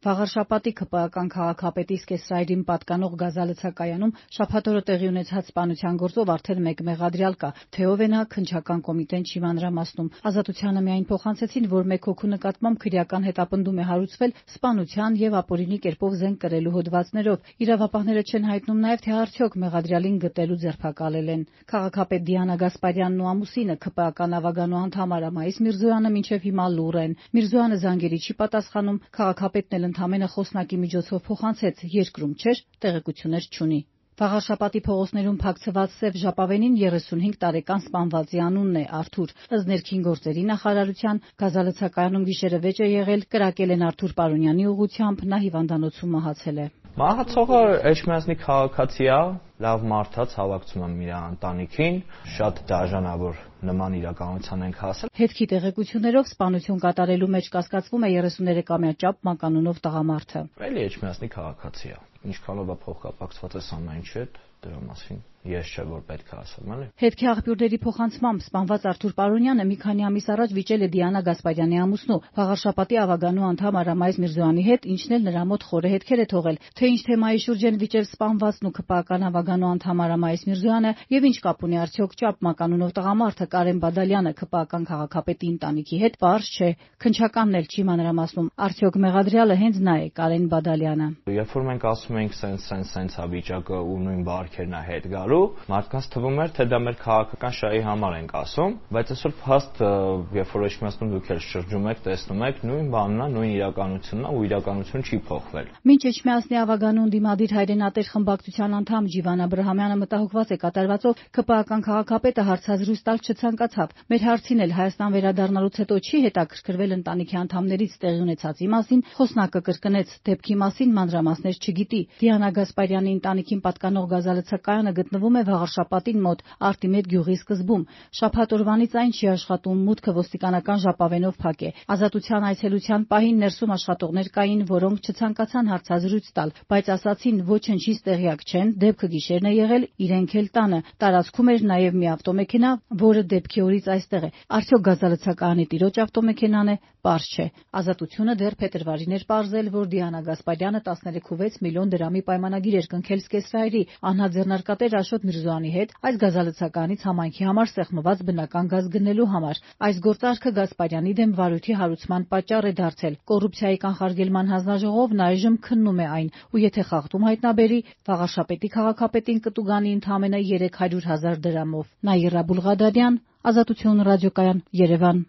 Վաղարշապատի ՔՊԱ-ական քաղաքապետի Սկեսրայրին պատկանող գազալցակայանում շաբաթօրը տեղի ունեցած սպանության գործով արդեն մեկ մեղադրյալ կա, թե ով է նա, քննչական կոմիտեն չի մանրամասնում։ Ազատությանը միայն փոխանցեցին, որ մեկ հոգու նկատմամբ քրեական հետապնդում է հարուցվել սպանության եւ ապօրինի կերպով զենք կրելու հոդվածներով։ Իրավապահները չեն հայտնում նաեւ, թե արդյոք մեղադրյալին գտել ու ձերբակալել են։ Քաղաքապետ Դիանա Գասպարյանն ու ամուսինը ՔՊԱ-ական ավագանու անդամ Արա Մայիս Միրզոյանը մինչեւ հիմա լուռ են։ Միրզոյանը զանգերի չի պատասխանում, քաղաքապետն ընդամենը խոսնակի միջոցով փոխանցեց, երկրում չէր, տեղեկություններ չունի։ Վաղարշապատի փողոցներում փակցված սև ժապավենին 35 տարեկան սպանվածի անունն է Արթուր։ Ըստ ներքին գործերի նախարարության գազալցակայանում գիշերը վեճ է եղել, կրակել են Արթուր Պարոնյանի ուղղությամբ, նա հիվանդանոցում մահացել է։ Մահացողը Էջմիածնի քաղաքացի է, լավ մարդ է, ցավակցում եմ իր ընտանիքին, շատ դաժան է, որ նման իրականության ենք հասել։ Հետքի տեղեկություններով սպանություն կատարելու մեջ կասկածվում է 33-ամյա Ճապ մականունով տղամարդը։ Էլի Էջմիածնի քաղաքացի է։ Ինչքանով է փոխկապակցված է ամեն ինչի հետ, դրա մասին ես չէ որ պետք է ասեմ, էլի։ Հետքի աղբյուրների փոխանցմամբ սպանված Արթուր Պարոնյանը մի քանի ամիս առաջ վիճել է Դիանա Գասպարյանի ամուսնու, Վաղարշապատի ավագանու անդամ Արա Մայիս Միրզոյանի հետ, ինչն էլ նրա մոտ խորը հետքեր է թողել, թե ինչ թեմայի շուրջ են վիճել սպանվածն ու ՔՊԱ-ական ավագանու անդամ Արա Մայիս Միրզոյանը եւ ինչ կապ ունի արդյոք Ճապ մականունով տղամարդը Կարեն Բադալյանը ՔՊԱ-ական քաղաքապետի ընտանիքի հետ, պարզ չէ, քննչականն էլ չի մանրամասնում, արդյոք մեղադրյալը հենց նա է, Կարեն Բադալյանը։ Երբ որ մենք ասում ենք սենց է վիճակը ու նույն բարքերն է հետ գալու, մարդկանց թվում էր, թե դա մեր քաղաքական շահի համար ենք ասում, բայց այսօր փաստ, երբ որ Էջմիածնում դուք էլ շրջում եք, տեսնում եք, նույն բանն է, նույն իրականությունն է ու իրականությունը չի փոխվել։ Մինչ Էջմիածնի ավագանու ընդդիմադիր հայրենատեր խմբակցության անդամ Ջիվան Աբրահամյանը մտահոգված է կատարվածով, ՔՊԱ-ական քաղաքապետը հարցազրույց տալ չցանկացավ։ Մեր հարցին էլ Հայաստան վերադառնալուց հետո չի հետաքրքրվել ընտանիքի անդամներից տեղի ունեցածի մասին, խոսնակը կրկնեց, դեպքի մասին մանրամասներ չգիտի։ Դիանա Գասպարյանի ընտանիքին պատկանող գազալցակայանը գտնվում է Վաղարշապատին մոտ, Արտիմետ գյուղի սկզբում։ Շաբաթ օրվանից այն չի աշխատում, մուտքը ոստիկանական ժապավենով փակ է։ Ազատության այցելության պահին ներսում աշխատողներ կային, որոնք չցանկացան հարցազրույց տալ, բայց ասացին ոչնչից տեղյակ չեն, դեպքը գիշերն է եղել, իրենք էլ տանը։ Տարածքում էր նաև մի ավտոմեքենա, որը դեպքի օրից այստեղ է։ Արդյոք գազալցակայանի տիրոջ ավտոմեքենան է, պարզ չէ։ Ազատությունը դեռ փետրվարին էր պարզել, որ Դիանա Գասպարյանը 13.6 միլիոն դրամի պայմանագիր էր կնքել Սկեսրայրի անհատ ձեռնարկատեր Աշոտ Միրզոյանի հետ այս գազալցականից համայնքի համար սեղմված բնական գազ գնելու համար։ Այս գործարքը Գասպարյանի դեմ վարույթի հարուցման պատճառ է դարձել։ Կոռուպցիայի կանխարգելման հանձնաժողովն այժմ քննում է այն, ու եթե խախտում հայտնաբերի, Վաղարշապետի քաղաքապետին կտուգանի ընդամենը 300,000 դրամով։ Նաիրա Բուլղադարյան, Ազատություն ռադիոկայան, Երևան։